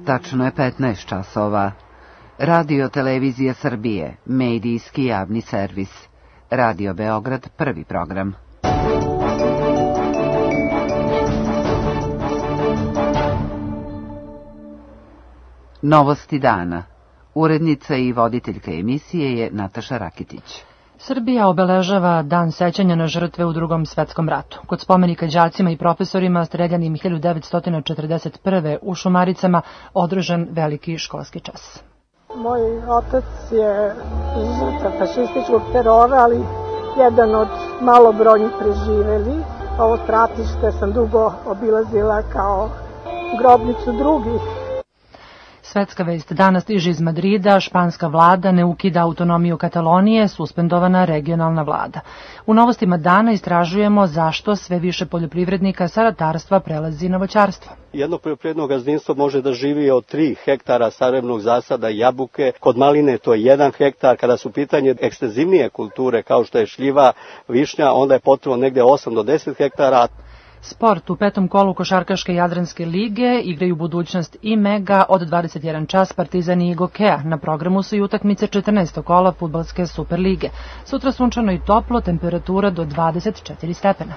Tačno je 15 časova. Radio Televizija Srbije, medijski javni servis. Radio Beograd, prvi program. Novosti dana. Urednica i voditeljka emisije je Nataša Rakitić. Srbija obeležava Dan sećanja na žrtve u Drugom svetskom ratu. Kod spomenika đacima i profesorima streljanim 1941. u Šumaricama održan veliki školski čas. Moj otac je žrtva fašističkog terora, ali jedan od malobrojnih preživeli. Ovo stratište sam dugo obilazila kao grobnicu drugih. Svetska vest danas stiže iz Madrida, španska vlada ne ukida autonomiju Katalonije, suspendovana regionalna vlada. U novostima dana istražujemo zašto sve više poljoprivrednika sa ratarstva prelazi na voćarstvo. Jedno poljoprivredno gazdinstvo može da živi od 3 hektara sarevnog zasada jabuke, kod maline to je 1 hektar, kada su pitanje ekstenzivnije kulture kao što je šljiva, višnja, onda je potrebno negde 8 do 10 hektara. Sport u 5. kolu košarkaške Jadranske lige igraju budućnost i Mega od 21 čas, Partizan i Gokeja. Na programu su i utakmice 14. kola fudbalske Superlige. Sutra sunčano i toplo, temperatura do 24 stepena.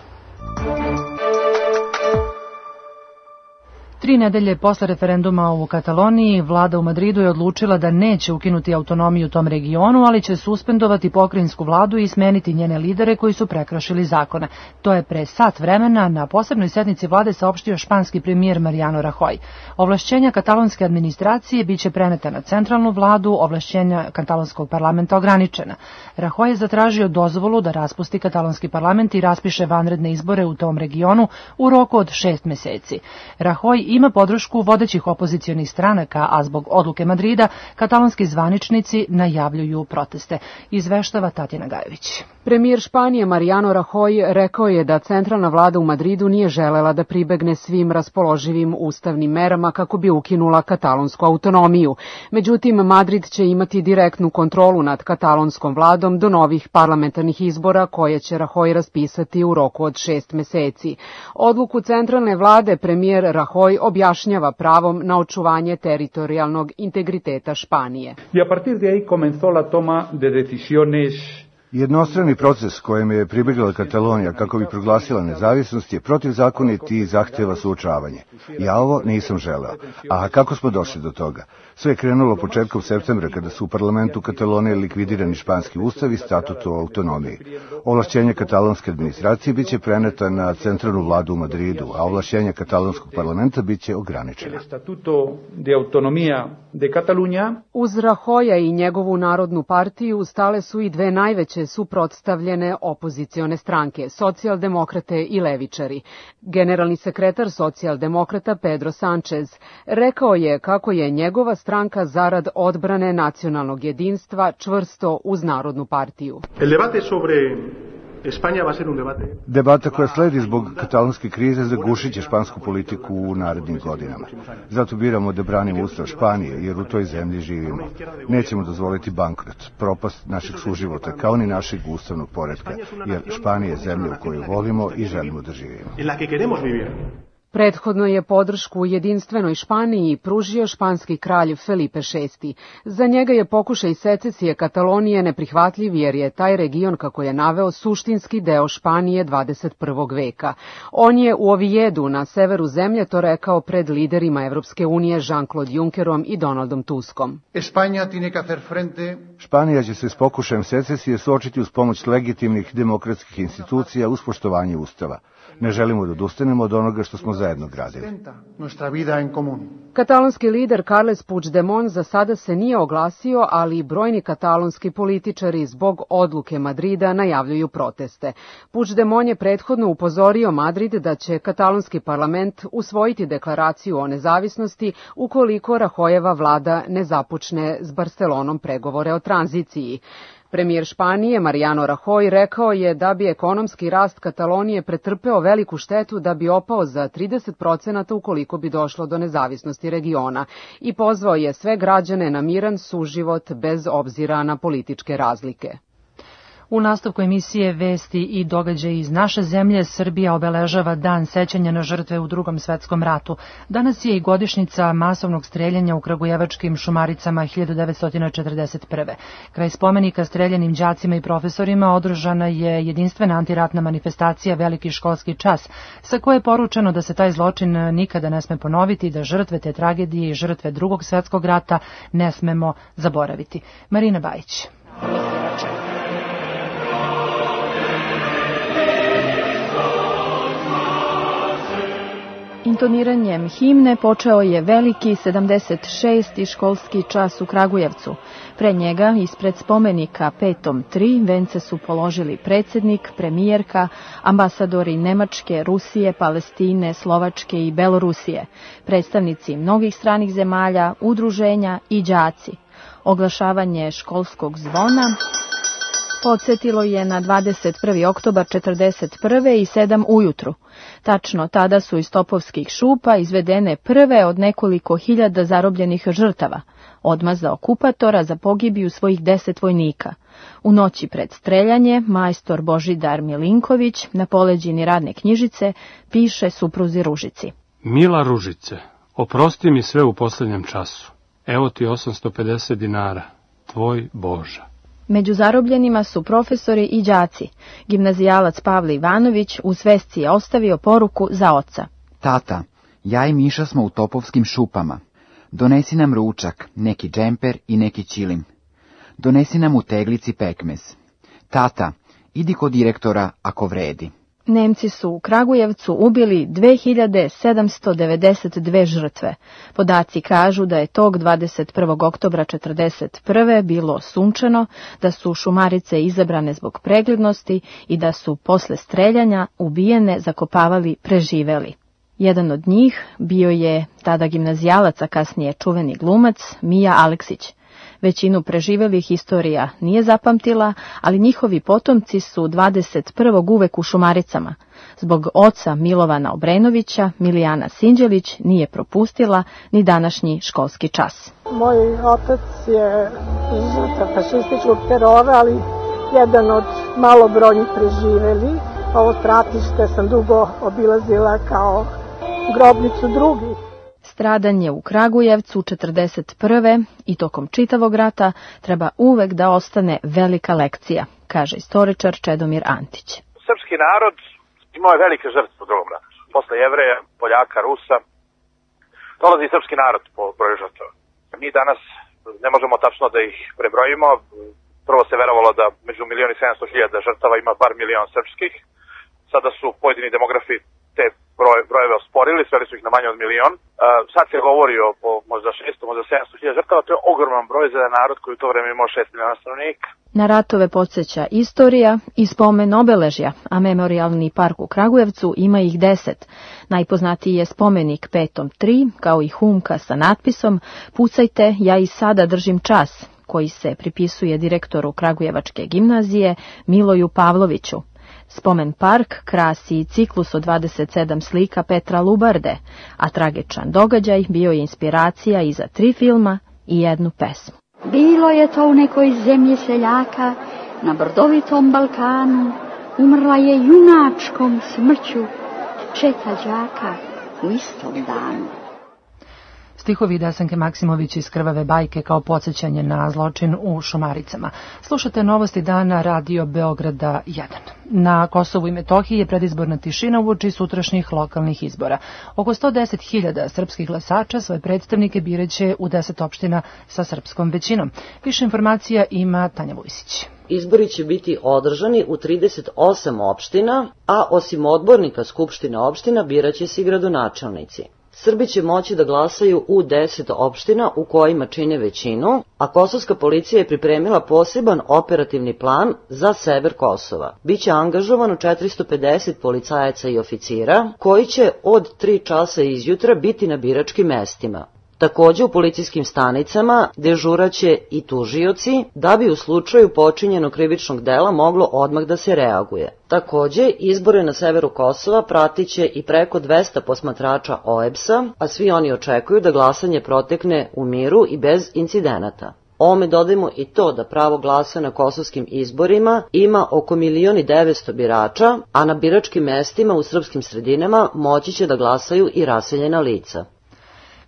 3 nedelje posle referenduma u Kataloniji, vlada u Madridu je odlučila da neće ukinuti autonomiju u tom regionu, ali će suspendovati pokrajinsku vladu i smeniti njene lidere koji su prekršili zakone. To je pre sat vremena na posebnoj sednici vlade saopštio španski premijer Mariano Rajoy. Ovlašćenja katalonske administracije biće preneta na centralnu vladu, ovlašćenja katalonskog parlamenta ograničena. Rajoy je zatražio dozvolu da raspusti katalonski parlament i raspiše vanredne izbore u tom regionu u roku od 6 meseci. Rajoy ima podršku vodećih opozicionih stranaka, a zbog odluke Madrida katalonski zvaničnici najavljuju proteste. Izveštava Tatjana Gajević. Premijer Španije Mariano Rajoy rekao je da centralna vlada u Madridu nije želela da pribegne svim raspoloživim ustavnim merama kako bi ukinula katalonsku autonomiju. Međutim, Madrid će imati direktnu kontrolu nad katalonskom vladom do novih parlamentarnih izbora koje će Rajoy raspisati u roku od 6 meseci. Odluku centralne vlade premijer Rajoy objašnjava pravom na očuvanje teritorijalnog integriteta Španije. I a partir de ahí comenzó la toma de decisiones. Jednostrani proces kojem je pribegla Katalonija kako bi proglasila nezavisnost je protivzakonit i zahteva suočavanje. Ja ovo nisam želeo. A kako smo došli do toga? Sve je krenulo početkom septembra kada su u parlamentu Katalonije likvidirani španski ustav i statut o autonomiji. Ovlašćenje katalonske administracije biće preneta na centralnu vladu u Madridu, a ovlašćenje katalonskog parlamenta biće ograničena. Uz Rajoya i njegovu Narodnu partiju stale su i dve najveće suprotstavljene opozicione stranke, socijaldemokrate i levičari. Generalni sekretar socijaldemokrata Pedro Sánchez rekao je kako je njegova stranka zarad odbrane nacionalnog jedinstva čvrsto uz Narodnu partiju. Debata koja sledi zbog katalonske krize zagušit će špansku politiku u narednim godinama. Zato biramo da branimo ustav Španije, jer u toj zemlji živimo. Nećemo dozvoliti bankrot, propast našeg suživota, kao ni našeg ustavnog poretka, jer Španija je zemlja u kojoj volimo i želimo da živimo. Prethodno je podršku jedinstvenoj Španiji pružio španski kralj Felipe VI. Za njega je pokušaj secesije Katalonije neprihvatljiv jer je taj region, kako je naveo, suštinski deo Španije 21. veka. On je u Ovijedu na severu zemlje to rekao pred liderima Evropske unije Jean-Claude Junckerom i Donaldom Tuskom. Španija će se s pokušajem secesije suočiti uz pomoć legitimnih demokratskih institucija uz poštovanje ustava. Ne želimo da odustanemo od onoga što smo zajedno gradili. Katalonski lider Carles Puigdemont za sada se nije oglasio, ali i brojni katalonski političari zbog odluke Madrida najavljuju proteste. Puigdemont je prethodno upozorio Madrid da će katalonski parlament usvojiti deklaraciju o nezavisnosti ukoliko Rajoyeva vlada ne započne s Barcelonom pregovore o tranziciji. Premijer Španije Mariano Rajoy rekao je da bi ekonomski rast Katalonije pretrpeo veliku štetu da bi opao za 30% ukoliko bi došlo do nezavisnosti regiona i pozvao je sve građane na miran suživot bez obzira na političke razlike. U nastavku emisije Vesti i događaji iz naše zemlje, Srbija obeležava Dan sećanja na žrtve u Drugom svetskom ratu. Danas je i godišnjica masovnog streljanja u kragujevačkim Šumaricama 1941. Kraj spomenika streljanim đacima i profesorima održana je jedinstvena antiratna manifestacija Veliki školski čas, sa koje je poručeno da se taj zločin nikada ne sme ponoviti i da žrtve te tragedije i žrtve Drugog svjetskog rata ne smemo zaboraviti. Marina Bajić. Intoniranjem himne počeo je veliki 76. školski čas u Kragujevcu. Pre njega, ispred spomenika Petom 3, vence su položili predsjednik, premijerka, ambasadori Nemačke, Rusije, Palestine, Slovačke i Belorusije, predstavnici mnogih stranih zemalja, udruženja i đaci. Oglašavanje školskog zvona podsjetilo je na 21. oktobar 1941. i 7 ujutru. Tačno tada su iz topovskih šupa izvedene prve od nekoliko hiljada zarobljenih žrtava, odmazda okupatora za pogibiju svojih 10 vojnika. U noći pred streljanje, majstor Božidar Milinković na poleđini radne knjižice piše supruzi Ružici. Mila Ružice, oprosti mi sve u posljednjem času. Evo ti 850 dinara, tvoj Boža. Među zarobljenima su profesori i đaci. Gimnazijalac Pavle Ivanović u svesci je ostavio poruku za oca. Tata, ja i Miša smo u topovskim šupama. Donesi nam ručak, neki džemper i neki ćilim. Donesi nam u teglici pekmez. Tata, idi kod direktora ako vredi. Nemci su u Kragujevcu ubili 2792 žrtve. Podaci kažu da je tog 21. oktobra 1941. bilo sunčano, da su Šumarice izabrane zbog preglednosti i da su posle streljanja ubijene zakopavali preživeli. Jedan od njih bio je tada gimnazijalac, a kasnije čuveni glumac Mija Aleksić. Većinu preživelih istorija nije zapamtila, ali njihovi potomci su 21. uvek u Šumaricama. Zbog oca Milovana Obrenovića, Milijana Sinđelić nije propustila ni današnji školski čas. Moj otac je žrtva fašističkog terora, ali jedan od malobrojnih preživeli. Ovo stratište sam dugo obilazila kao grobnicu drugih. Stradanje u Kragujevcu 1941. i tokom čitavog rata treba uvek da ostane velika lekcija, kaže istoričar Čedomir Antić. Srpski narod imao je velike žrtve u Drugom ratu. Posle Jevreja, Poljaka, Rusa, dolazi i srpski narod po broju žrtava. Mi danas ne možemo tačno da ih prebrojimo. Prvo se verovalo da među 1.700.000 žrtava ima bar milion srpskih. Sada su pojedini demografi te brojeve osporili, sveli su ih na manje od milion. Sad se govori o možda 600, možda 700.000 žrtava, to je ogroman broj za narod koji u to vreme imao 6 miliona stanovnika. Na ratove podsjeća istorija i spomen obeležja, a memorialni park u Kragujevcu ima ih 10. Najpoznatiji je spomenik Petom 3, kao i humka sa natpisom "Pucajte, ja i sada držim čas", koji se pripisuje direktoru Kragujevačke gimnazije Miloju Pavloviću. Spomen park krasi ciklus od 27 slika Petra Lubarde, a tragičan događaj bio je inspiracija i za 3 filma i 1 pesmu. Bilo je to u nekoj zemlji seljaka, na brdovitom Balkanu, umrla je junačkom smrću četa đaka u istom danu. Stihovi Desanke Maksimović iz Krvave bajke kao podsjećanje na zločin u Šumaricama. Slušate novosti dana Radio Beograda 1. Na Kosovu i Metohiji je predizborna tišina uoči sutrašnjih lokalnih izbora. Oko 110.000 srpskih glasača svoje predstavnike biraće u 10 opština sa srpskom većinom. Više informacija ima Tanja Vujsić. Izbori će biti održani u 38 opština, a osim odbornika Skupštine opština biraće se i gradonačelnici. Srbi će moći da glasaju u 10 opština u kojima čine većinu, a kosovska policija je pripremila poseban operativni plan za sever Kosova. Biće angažovano 450 policajaca i oficira, koji će od 3 časa izjutra biti na biračkim mestima. Takođe u policijskim stanicama dežuraće i tužioci, da bi u slučaju počinjenog krivičnog dela moglo odmah da se reaguje. Takođe, izbore na severu Kosova pratiće i preko 200 posmatrača OEBS-a, a svi oni očekuju da glasanje protekne u miru i bez incidenata. Ovome dodajmo i to da pravo glasa na kosovskim izborima ima oko 1.900.000 birača, a na biračkim mestima u srpskim sredinama moći će da glasaju i raseljena lica.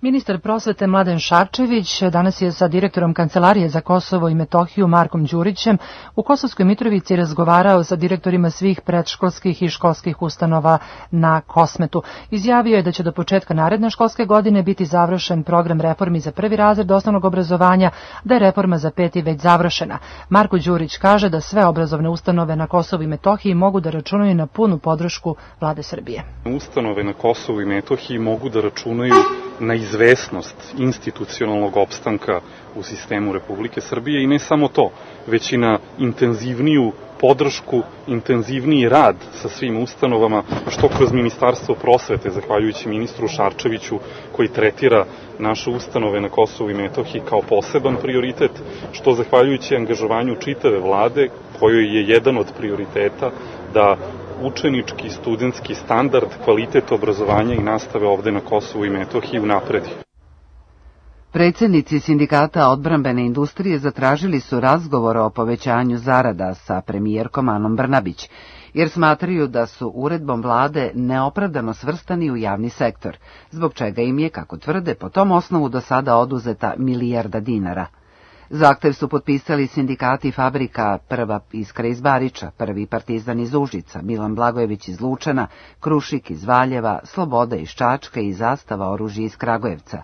Ministar prosvete Mladen Šarčević danas je sa direktorom Kancelarije za Kosovo i Metohiju Markom Đurićem u Kosovskoj Mitrovici razgovarao sa direktorima svih predškolskih i školskih ustanova na Kosmetu. Izjavio je da će do početka naredne školske godine biti završen program reformi za prvi razred osnovnog obrazovanja, da je reforma za 5. već završena. Marko Đurić kaže da sve obrazovne ustanove na Kosovu i Metohiji mogu da računaju na punu podršku Vlade Srbije. Ustanove na Kosovu i Metohiji mogu da računaju na izvesnost institucionalnog opstanka u sistemu Republike Srbije i ne samo to, već i na intenzivniju podršku, intenzivniji rad sa svim ustanovama, što kroz Ministarstvo prosvete, zahvaljujući ministru Šarčeviću, koji tretira naše ustanove na Kosovu i Metohiji kao poseban prioritet, što zahvaljujući angažovanju čitave vlade, kojoj je jedan od prioriteta da učenički, studentski standard, kvalitet obrazovanja i nastave ovde na Kosovu i Metohiji unapredi. Predsjednici sindikata odbrambene industrije zatražili su razgovor o povećanju zarada sa premijerkom Anom Brnabić, jer smatraju da su uredbom vlade neopravdano svrstani u javni sektor, zbog čega im je, kako tvrde, po tom osnovu do sada oduzeta milijarda dinara. Zahtev su potpisali sindikati fabrika Prva Iskra iz Bariča, Prvi Partizan iz Užica, Milan Blagojević iz Lučana, Krušik iz Valjeva, Sloboda iz Čačka i Zastava oružja iz Kragujevca.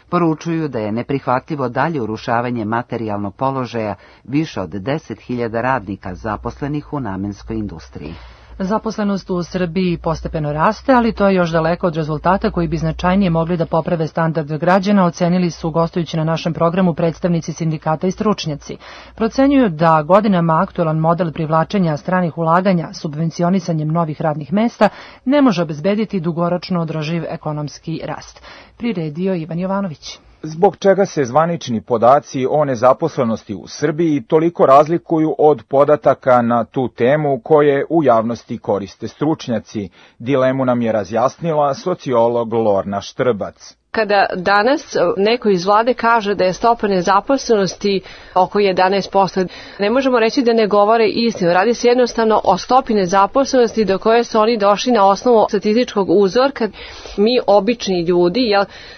Poručuju da je neprihvatljivo dalje urušavanje materijalnog položaja više od 10.000 radnika zaposlenih u namenskoj industriji. Zaposlenost u Srbiji postepeno raste, ali to je još daleko od rezultata koji bi značajnije mogli da poprave standard građana, ocenili su gostujući na našem programu predstavnici sindikata i stručnjaci. Procenjuju da godinama aktualan model privlačenja stranih ulaganja subvencionisanjem novih radnih mesta ne može obezbediti dugoročno održiv ekonomski rast. Priredio Ivan Jovanović. Zbog čega se zvanični podaci o nezaposlenosti u Srbiji toliko razlikuju od podataka na tu temu koje u javnosti koriste stručnjaci? Dilemu nam je razjasnila sociolog Lorna Štrbac. Kada danas neko iz vlade kaže da je stopa nezaposlenosti oko 11%, ne možemo reći da ne govore istinu. Radi se jednostavno o stopi nezaposlenosti do koje su oni došli na osnovu statističkog uzorka. Mi, obični ljudi,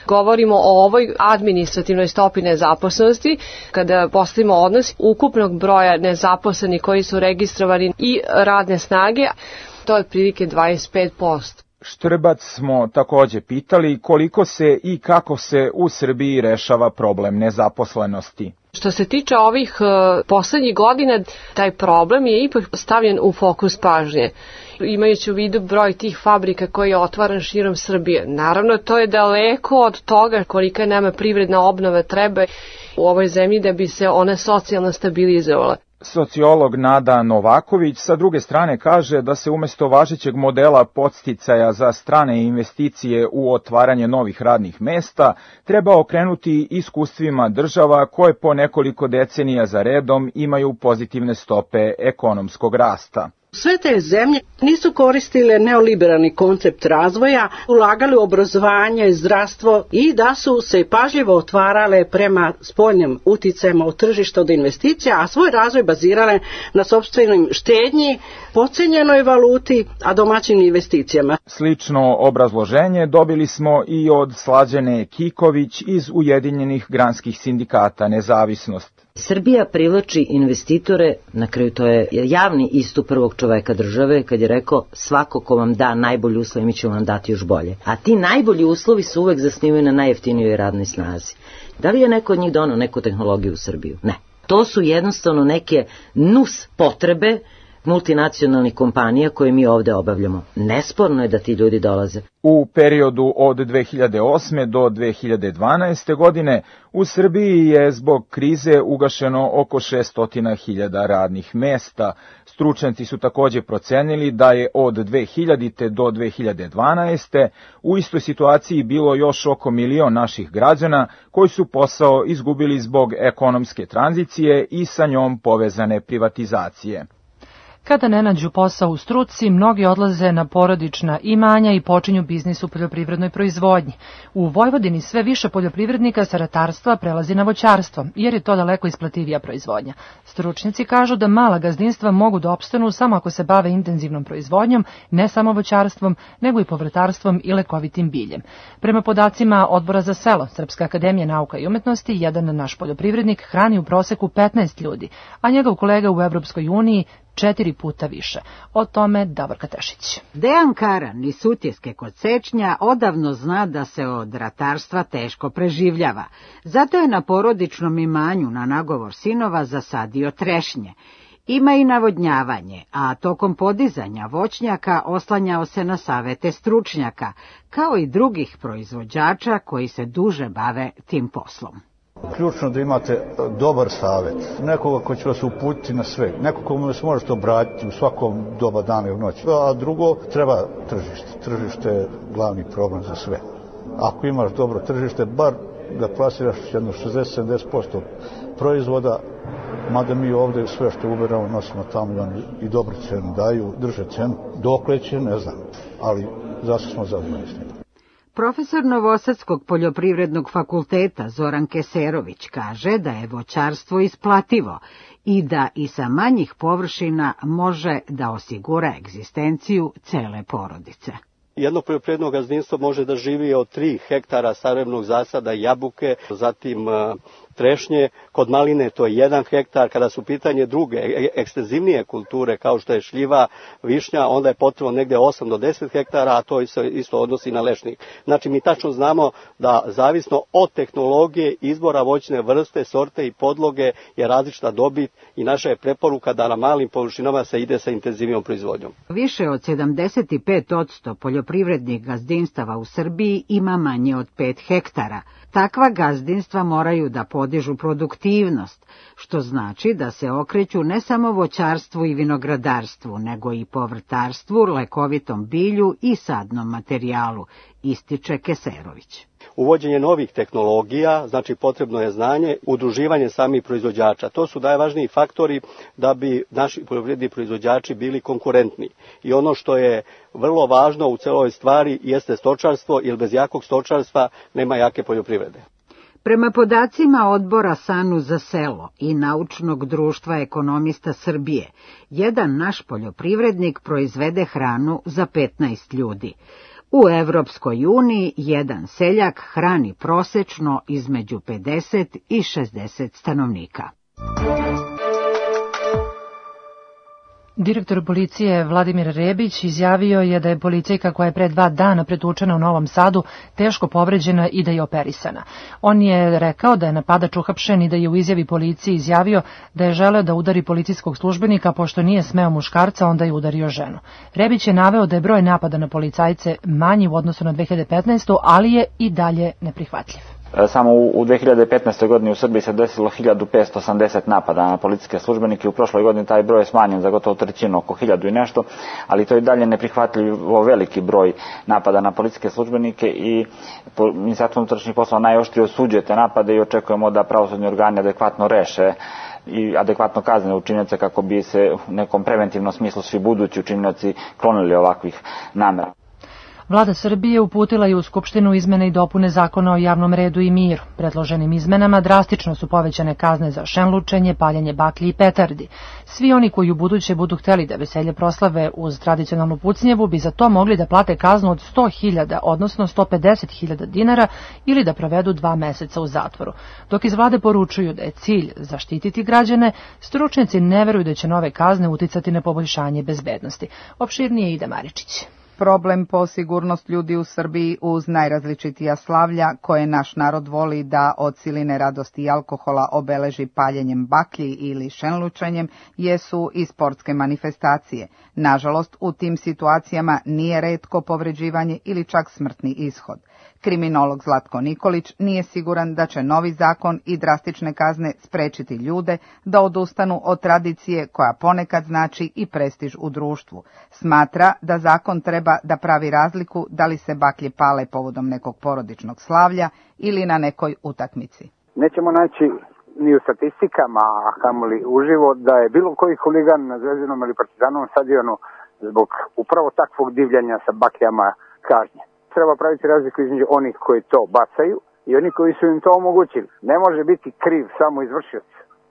govorimo o ovoj administrativnoj stopi nezaposlenosti, kada postavimo odnos ukupnog broja nezaposlenih koji su registrovani i radne snage, to je otprilike 25%. Štrbac smo takođe pitali koliko se i kako se u Srbiji rešava problem nezaposlenosti. Što se tiče ovih poslednjih godina, taj problem je ipak stavljen u fokus pažnje. Imajući u vidu broj tih fabrika koji je otvaran širom Srbije. Naravno, to je daleko od toga kolika nama privredna obnova treba u ovoj zemlji da bi se ona socijalno stabilizovala. Sociolog Nada Novaković sa druge strane kaže da se umesto važećeg modela podsticaja za strane investicije u otvaranje novih radnih mesta treba okrenuti iskustvima država koje po nekoliko decenija za redom imaju pozitivne stope ekonomskog rasta. Sve te zemlje nisu koristile neoliberalni koncept razvoja, ulagali u obrazovanje, zdravstvo i da su se pažljivo otvarale prema spoljnim uticajima u tržištu od investicija, a svoj razvoj bazirale na sopstvenim štednji, potcenjenoj valuti, a domaćim investicijama. Slično obrazloženje dobili smo i od Slađane Kiković iz Ujedinjenih granskih sindikata Nezavisnost. Srbija privlači investitore, na kraju to je javni istup prvog čoveka države kad je rekao svako ko vam da najbolji uslov, mi ćemo vam dati još bolje. A ti najbolji uslovi su uvek zasnivaju na najjeftinijoj radnoj snazi. Da li je neko od njih donao neku tehnologiju u Srbiju? Ne. To su jednostavno neke nus potrebe multinacionalnih kompanija koje mi ovde obavljamo. Nesporno je da ti ljudi dolaze. U periodu od 2008. do 2012. godine u Srbiji je zbog krize ugašeno oko 600.000 radnih mesta. Stručnjaci su takođe procenili da je od 2000. do 2012. u istoj situaciji bilo još oko 1 milion naših građana koji su posao izgubili zbog ekonomske tranzicije i sa njom povezane privatizacije. Kada ne nađu posao u struci, mnogi odlaze na porodična imanja i počinju biznis u poljoprivrednoj proizvodnji. U Vojvodini sve više poljoprivrednika sa ratarstva prelazi na voćarstvo, jer je to daleko isplativija proizvodnja. Stručnjaci kažu da mala gazdinstva mogu da opstanu samo ako se bave intenzivnom proizvodnjom, ne samo voćarstvom, nego i povrtarstvom i lekovitim biljem. Prema podacima Odbora za selo Srpske akademije nauka i umetnosti, jedan naš poljoprivrednik hrani u proseku 15 ljudi, a njegov kolega u Evropskoj uniji 4 puta više. O tome Davorka Tešić. Dejan Karan iz Sutjeske kod Sečnja odavno zna da se od ratarstva teško preživljava. Zato je na porodičnom imanju na nagovor sinova zasadio trešnje. Ima i navodnjavanje, a tokom podizanja voćnjaka oslanjao se na savete stručnjaka, kao i drugih proizvođača koji se duže bave tim poslom. Ključno da imate dobar savjet, nekoga ko će vas uputiti na sve, nekoga komu vas možete obratiti u svakom doba dana i u noći. A drugo, treba tržište. Tržište je glavni problem za sve. Ako imaš dobro tržište, bar da plasiraš jedno 60-70% proizvoda, mada mi ovdje sve što uberamo nosimo tamo i dobru cenu daju, drže cenu. Dokle će, ne znam, ali zašto smo zadovoljni s njim. Profesor Novosadskog poljoprivrednog fakulteta Zoran Keserović kaže da je voćarstvo isplativo i da i sa manjih površina može da osigura egzistenciju cele porodice. Jedno poljoprivredno gazdinstvo može da živi od 3 hektara sarevnog zasada jabuke, zatim trešnje, kod maline to je 1 hektar, kada su pitanje druge ekstenzivnije kulture kao što je šljiva, višnja, onda je potrebno negde 8 do 10 hektara, a to se isto odnosi na lešnik. Znači mi tačno znamo da zavisno od tehnologije, izbora voćne vrste, sorte i podloge je različita dobit i naša je preporuka da na malim površinama se ide sa intenzivnijom proizvodnjom. Više od 75% poljoprivrednih gazdinstava u Srbiji ima manje od 5 hektara. Takva gazdinstva moraju da podižu produktivnost, što znači da se okreću ne samo voćarstvu i vinogradarstvu, nego i povrtarstvu, lekovitom bilju i sadnom materijalu, ističe Keserović. Uvođenje novih tehnologija, znači potrebno je znanje, udruživanje samih proizvođača. To su najvažniji faktori da bi naši poljoprivredni proizvođači bili konkurentni. I ono što je vrlo važno u celoj stvari jeste stočarstvo, jer bez jakog stočarstva nema jake poljoprivrede. Prema podacima Odbora SANU za selo i Naučnog društva ekonomista Srbije, jedan naš poljoprivrednik proizvede hranu za 15 ljudi. U Evropskoj uniji jedan seljak hrani prosečno između 50 i 60 stanovnika. Direktor policije Vladimir Rebić izjavio je da je policajka koja je pre 2 dana pretučena u Novom Sadu teško povređena i da je operisana. On je rekao da je napadač uhapšen i da je u izjavi policiji izjavio da je želeo da udari policijskog službenika, pošto nije smeo muškarca, onda je udario ženu. Rebić je naveo da je broj napada na policajce manji u odnosu na 2015. ali je i dalje neprihvatljiv. Samo u 2015. godini u Srbiji se desilo 1580 napada na policijske službenike. U prošloj godini taj broj je smanjen za gotovo trećinu, oko 1000 i nešto, ali to je dalje neprihvatljivo veliki broj napada na policijske službenike i Ministarstvo unutrašnjih poslova najoštrije osuđuje te napade i očekujemo da pravosudni organi adekvatno reše i adekvatno kazne učinioce kako bi se u nekom preventivnom smislu svi budući učinioci klonili ovakvih namera. Vlada Srbije uputila je u Skupštinu izmene i dopune Zakona o javnom redu i miru. Predloženim izmenama drastično su povećane kazne za šenlučenje, paljenje baklji i petardi. Svi oni koji u buduće budu hteli da veselje proslave uz tradicionalnu pucnjevu bi za to mogli da plate kaznu od 100.000, odnosno 150.000 dinara ili da provedu 2 meseca u zatvoru. Dok iz vlade poručuju da je cilj zaštititi građane, stručnjaci ne veruju da će nove kazne uticati na poboljšanje bezbednosti. Opširnije Ida Maričić. Problem po sigurnost ljudi u Srbiji uz najrazličitija slavlja koje naš narod voli da od siline radosti i alkohola obeleži paljenjem baklji ili šenlučenjem jesu i sportske manifestacije. Nažalost, u tim situacijama nije retko povređivanje ili čak smrtni ishod. Kriminolog Zlatko Nikolić nije siguran da će novi zakon i drastične kazne sprečiti ljude da odustanu od tradicije koja ponekad znači i prestiž u društvu. Smatra da zakon treba da pravi razliku da li se baklje pale povodom nekog porodičnog slavlja ili na nekoj utakmici. Nećemo naći ni u statistikama, a kamoli uživo, da je bilo koji huligan na Zvezdinom ili Partizanovom stadionu zbog upravo takvog divljanja sa bakljama kažnje. Treba praviti razliku između onih koji to bacaju i oni koji su im to omogućili. Ne može biti kriv samo izvršioc.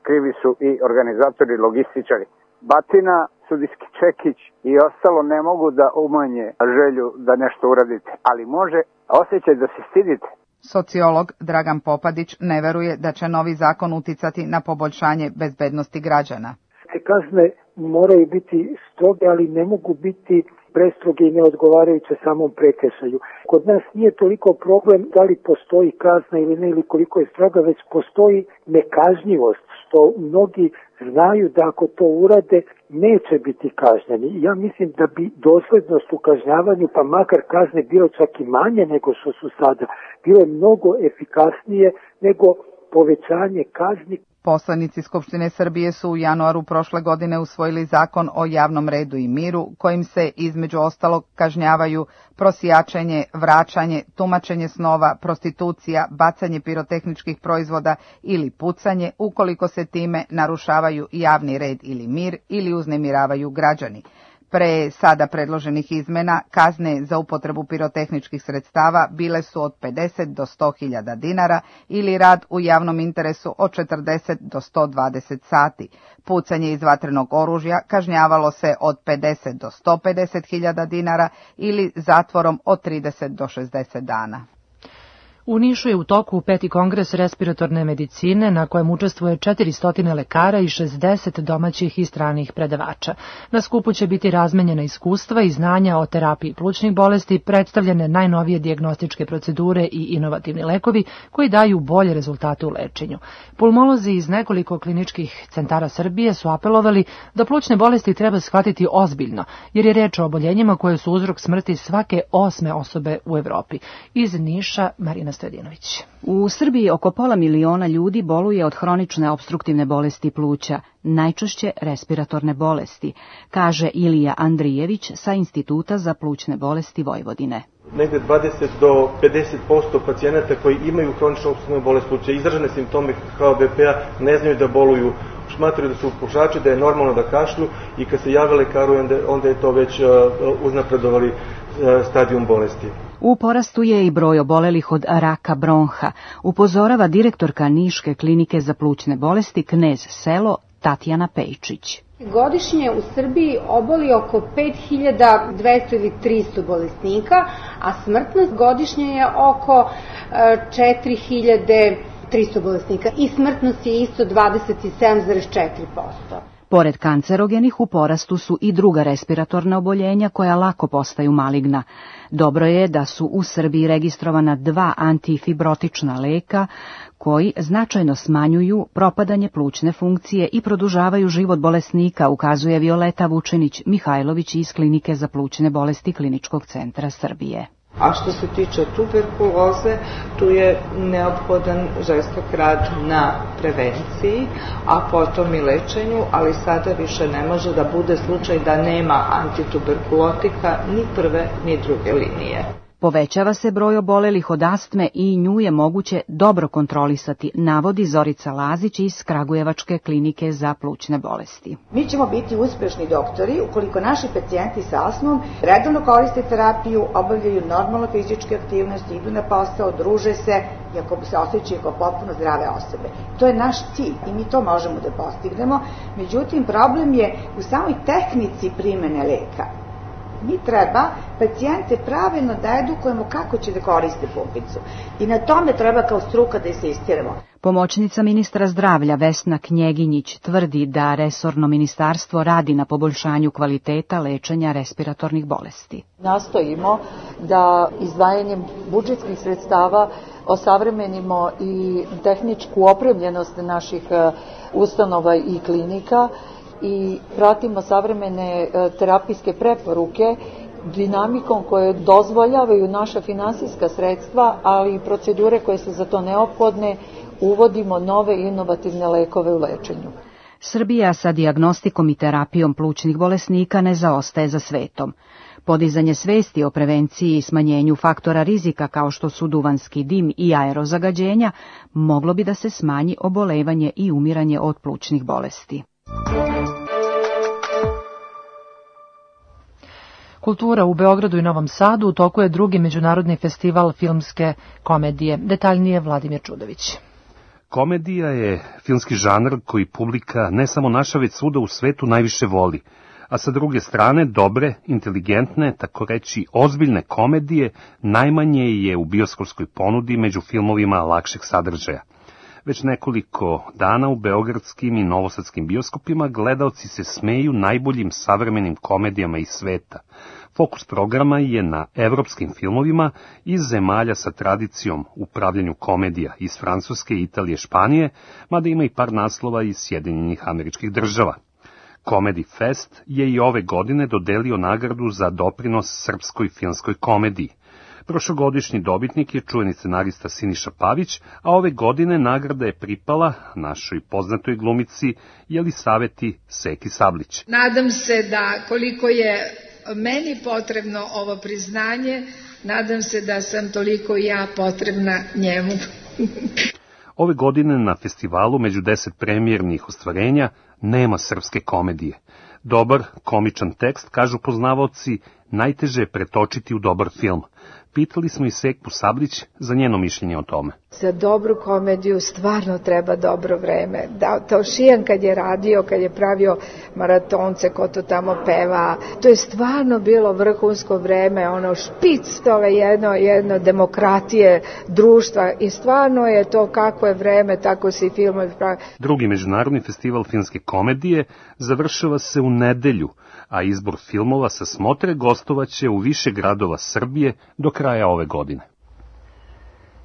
Krivi su i organizatori, logističari. Batina, sudijski čekić i ostalo ne mogu da umanje želju da nešto uradite, ali može osjećaj da se stidite. Sociolog Dragan Popadić ne veruje da će novi zakon uticati na poboljšanje bezbednosti građana. Te kazne moraju biti stroge, ali ne mogu biti prestroge i neodgovarajuće samom prekršaju. Kod nas nije toliko problem da li postoji kazna ili ne, ili koliko je stroga, već postoji nekažnjivost, što mnogi znaju da ako to urade neće biti kažnjeni. Ja mislim da bi doslednost u kažnjavanju, pa makar kazne bilo čak i manje nego što su sada, bilo mnogo efikasnije nego povećanje kazni. Poslanici Skupštine Srbije su u januaru prošle godine usvojili zakon o javnom redu i miru, kojim se između ostalog kažnjavaju prosjačenje, vraćanje, tumačenje snova, prostitucija, bacanje pirotehničkih proizvoda ili pucanje, ukoliko se time narušavaju javni red ili mir ili uznemiravaju građani. Pre sada predloženih izmena, kazne za upotrebu pirotehničkih sredstava bile su od 50 do 100.000 dinara ili rad u javnom interesu od 40 do 120 sati. Pucanje iz vatrenog oružja kažnjavalo se od 50 do 150.000 dinara ili zatvorom od 30 do 60 dana. U Nišu je u toku 5. kongres respiratorne medicine na kojem učestvuje 400 lekara i 60 domaćih i stranih predavača. Na skupu će biti razmenjena iskustva i znanja o terapiji plućnih bolesti, predstavljene najnovije dijagnostičke procedure i inovativni lekovi koji daju bolje rezultate u lečenju. Pulmolozi iz nekoliko kliničkih centara Srbije su apelovali da plućne bolesti treba shvatiti ozbiljno, jer je reč o oboljenjima koje su uzrok smrti svake 8. osobe u Evropi. Iz Niša, Marina Stojadinović. U Srbiji oko 500.000 ljudi boluje od hronične opstruktivne bolesti pluća, najčešće respiratorne bolesti, kaže Ilija Andrijević sa Instituta za plućne bolesti Vojvodine. Negde 20 do 50% pacijenata koji imaju hroničnu opstruktivnu bolest pluća, izražene simptome HOBP-a, ne znaju da boluju, smatraju da su pušači, da je normalno da kašlju i kad se jave lekaru, onda je to već uznapredovali stadijum bolesti. U porastu je i broj obolelih od raka bronha, upozorava direktorka Niške klinike za plućne bolesti Knez Selo Tatjana Pejčić. Godišnje u Srbiji oboli oko 5200 ili 300 bolesnika, a smrtnost godišnje je oko 4300 bolesnika i smrtnost je isto 27,4%. Pored kancerogenih u porastu su i druga respiratorna oboljenja koja lako postaju maligna. Dobro je da su u Srbiji registrovana 2 antifibrotična leka koji značajno smanjuju propadanje plućne funkcije i produžavaju život bolesnika, ukazuje Violeta Vučinić-Mihajlović iz Klinike za plućne bolesti Kliničkog centra Srbije. A što se tiče tuberkuloze, tu je neophodan žestok rad na prevenciji, a potom i lečenju, ali sada više ne može da bude slučaj da nema antituberkulotika ni prve ni druge linije. Povećava se broj obolelih od astme i nju je moguće dobro kontrolisati, navodi Zorica Lazić iz Kragujevačke klinike za plućne bolesti. Mi ćemo biti uspešni doktori ukoliko naši pacijenti sa astmom redovno koriste terapiju, obavljaju normalno fizičke aktivnosti, idu na posao, druže se i ako se osjećaju kao potpuno zdrave osobe. To je naš cilj i mi to možemo da postignemo, međutim problem je u samoj tehnici primene leka. Mi treba pacijente pravilno da edukujemo kako će da koriste pumpicu i na tome treba kao struka da insistiramo. Pomoćnica ministra zdravlja Vesna Knjeginjić tvrdi da resorno ministarstvo radi na poboljšanju kvaliteta lečenja respiratornih bolesti. Nastojimo da izdvajanjem budžetskih sredstava osavremenimo i tehničku opremljenost naših ustanova i klinika i pratimo savremene terapijske preporuke dinamikom koje dozvoljavaju naša finansijska sredstva, ali i procedure koje su za to neophodne, uvodimo nove inovativne lekove u lečenju. Srbija sa dijagnostikom i terapijom plućnih bolesnika ne zaostaje za svetom. Podizanje svesti o prevenciji i smanjenju faktora rizika kao što su duvanski dim i aerozagađenja moglo bi da se smanji obolevanje i umiranje od plućnih bolesti. Kultura u Beogradu i Novom Sadu u toku je drugi međunarodni festival filmske komedije. Detaljnije Vladimir Čudović. Komedija je filmski žanr koji publika ne samo naša već svuda u svetu najviše voli, a sa druge strane dobre, inteligentne, tako reći ozbiljne komedije najmanje je u bioskopskoj ponudi među filmovima lakšeg sadržaja. Već nekoliko dana u beogradskim i novosadskim bioskopima gledaoci se smeju najboljim savremenim komedijama iz sveta. Fokus programa je na evropskim filmovima iz zemalja sa tradicijom u pravljenju komedija iz Francuske, Italije, Španije, mada ima i par naslova iz Sjedinjenih Američkih Država. Comedy Fest je i ove godine dodelio nagradu za doprinos srpskoj filmskoj komediji. Prošlogodišnji dobitnik je čuveni scenarista Siniša Pavić, a ove godine nagrada je pripala našoj poznatoj glumici Jelisaveti Seki Sablić. Nadam se da koliko je meni potrebno ovo priznanje, nadam se da sam toliko i ja potrebna njemu. Ove godine na festivalu među 10 premijernih ostvarenja nema srpske komedije. Dobar, komičan tekst, kažu poznavaoci, najteže je pretočiti u dobar film. Pitali smo i Sekpu Sablić za njeno mišljenje o tome. Za dobru komediju stvarno treba dobro vreme. Taušijan kad je radio, kad je pravio maratonce, ko to tamo peva, to je stvarno bilo vrhunsko vreme, ono špic tove jedno demokratije društva i stvarno je to kako je vreme, tako se i filmovi pravi. Drugi međunarodni festival filmske komedije završava se u nedelju, a izbor filmova sa smotre gostovaće u više gradova Srbije do kraja ove godine.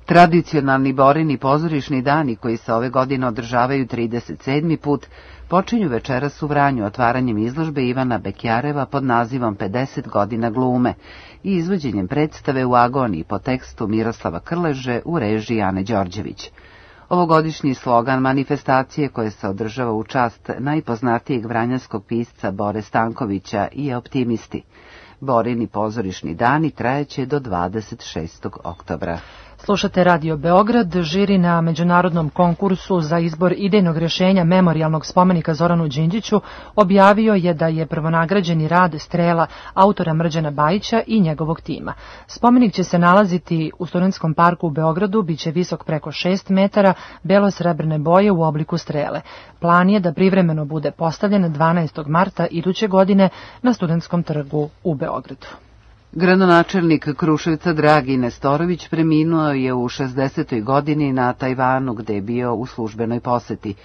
Tradicionalni Borini pozorišni dani koji se ove godine održavaju 37. put počinju večeras u Vranju otvaranjem izložbe Ivana Bekjareva pod nazivom 50 godina glume i izvođenjem predstave u agoniji po tekstu Miroslava Krleže u režiji Ane Đorđević. Ovogodišnji slogan manifestacije koje se održava u čast najpoznatijeg vranjanskog pisca Bore Stankovića je optimisti. Borini pozorišni dani trajeće do 26. oktobra. Slušate Radio Beograd. Žiri na međunarodnom konkursu za izbor idejnog rješenja memorijalnog spomenika Zoranu Đinđiću objavio je da je prvonagrađeni rad Strela autora Mrđana Bajića i njegovog tima. Spomenik će se nalaziti u Studentskom parku u Beogradu, biće visok preko 6 metara, belo-srebrne boje u obliku strele. Plan je da privremeno bude postavljen 12. marta iduće godine na Studentskom trgu u Beogradu. Gradonačelnik Kruševca Dragi Nestorović preminuo je u 60. godini na Tajvanu gde je bio u službenoj poseti.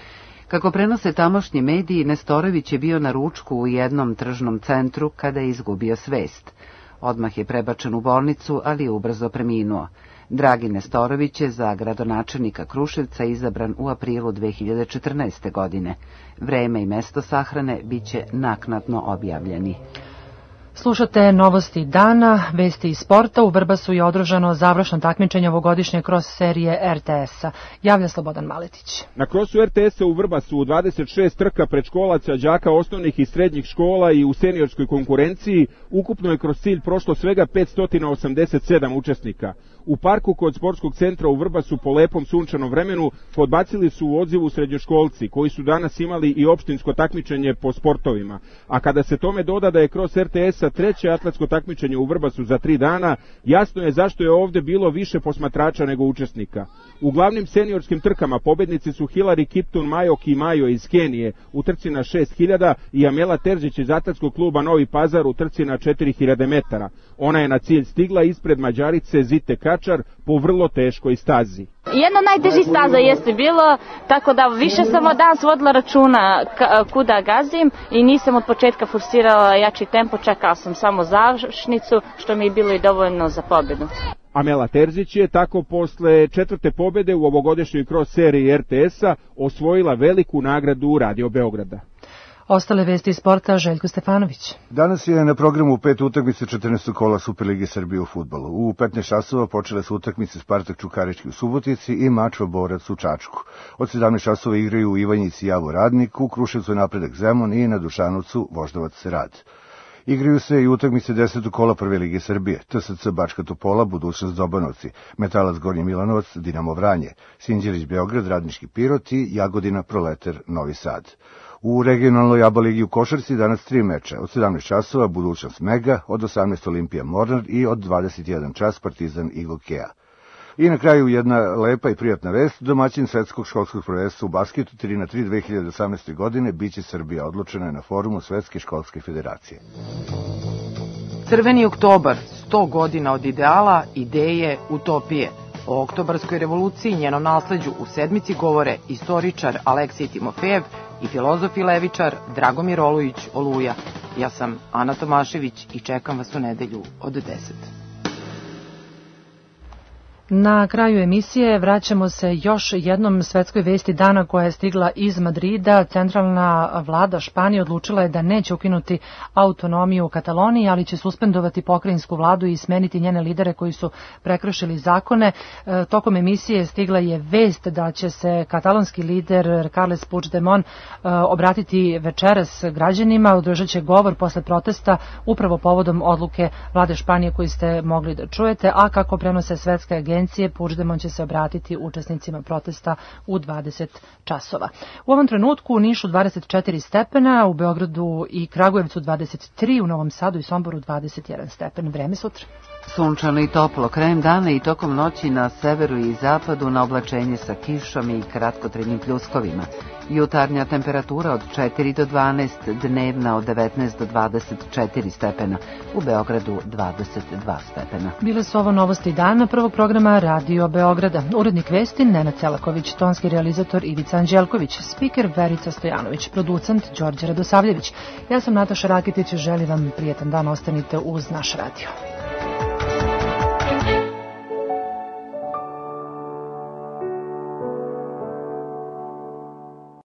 Kako prenose tamošnji mediji, Nestorović je bio na ručku u jednom tržnom centru kada je izgubio svest. Odmah je prebačen u bolnicu, ali je ubrzo preminuo. Dragi Nestorović je za gradonačelnika Kruševca izabran u aprilu 2014. godine. Vreme i mesto sahrane biće naknadno objavljeni. Slušate novosti dana, vesti iz sporta. U Vrbasu je održano završno takmičenje ovogodišnje cross serije RTS-a. Javlja Slobodan Maletić. Na crossu RTS-a u Vrbasu u 26 trka predškolaca, đaka osnovnih i srednjih škola i u seniorskoj konkurenciji ukupno je kroz cilj prošlo svega 587 učesnika. U parku kod sportskog centra u Vrbasu po lepom sunčanom vremenu podbacili su u odzivu srednjoškolci koji su danas imali i opštinsko takmičenje po sportovima. A kada se tome doda da je cross RTS-a treće atletsko takmičenje u Vrbasu za 3 dana, jasno je zašto je ovde bilo više posmatrača nego učesnika. U glavnim seniorskim trkama pobednici su Hilary Kiptun Majok i Majo iz Kenije u trci na 6000 i Amela Terzić iz atletskog kluba Novi Pazar u trci na 4000 metara. Ona je na cilj stigla ispred Mađarice Zite Kačar po vrlo teškoj stazi. Jedna od najtežih staza jeste bilo, tako da više sam od danas vodila računa kuda gazim i nisam od početka forsirala jači tempo, čekala sam samo završnicu, što mi je bilo i dovoljno za pobedu. Amela Terzić je tako posle četvrte pobede u ovogodišnjoj cross seriji RTS-a osvojila veliku nagradu Radio Beograda. Ostale vesti iz sporta, Željko Stefanović. Danas je na programu 5 utakmice 14. kola Superlige Srbije u fudbalu. U 15 časova počele su utakmice Spartak Čukarički u Subotici i Mačva Borac u Čačku. Od 17 časova igraju u Ivanjici Javo Radnik, u Kruševcu Napredak Zemun i na Dušanovcu Voždovac Rad. Igraju se i utakmice 10. kola Prve lige Srbije, TSC Bačka Topola, Budućnost Dobanovci, Metalac Gornji Milanovac, Dinamo Vranje, Sinđelić Beograd, Radnički Pirot i Jagodina Proleter Novi Sad. U regionalnoj ABA ligi u košarci danas 3 meča, od 17 časova Budućnost Mega, od 18 Olimpija Mornar i od 21 čas Partizan Igokea. I na kraju jedna lepa i prijatna vest, domaćin svetskog školskog prvenstva u basketu 3x3 2018. godine biće Srbija, odlučena je na forumu Svetske školske federacije. Crveni oktobar, 100 godina od ideala, ideje, utopije. O oktobarskoj revoluciji i njenom nasleđu u sedmici govore istoričar Aleksij Timofejev i filozof i levičar Dragomir Olujić Oluja. Ja sam Ana Tomašević i čekam vas u nedelju od 10. Na kraju emisije vraćamo se još jednom svetskoj vesti dana koja je stigla iz Madrida. Centralna vlada Španije odlučila je da neće ukinuti autonomiju u Kataloniji, ali će suspendovati pokrajinsku vladu i smeniti njene lidere koji su prekršili zakone. Tokom emisije stigla je vest da će se katalonski lider Carles Puigdemont obratiti večeras građanima, održat će govor posle protesta upravo povodom odluke vlade Španije koju ste mogli da čujete, a kako prenose svetske agencije, Puigdemont će se obratiti učesnicima protesta u 20 časova. U ovom trenutku u Nišu 24 stepena, u Beogradu i Kragujevcu 23, u Novom Sadu i Somboru 21 stepen. Vreme sutra. Sunčano i toplo, krajem dana i tokom noći na severu i zapadu na oblačenje sa kišom i kratkotrajnim pljuskovima. Jutarnja temperatura od 4 do 12, dnevna od 19 do 24 stepena, u Beogradu 22 stepena. Bile su ovo novosti dana prvog programa Radio Beograda. Urednik vesti Nenad Celaković, tonski realizator Ivica Anđelković, spiker Verica Stojanović, producent Đorđe Radosavljević. Ja sam Nataša Rakitić, želim vam prijetan dan, ostanite uz naš radio.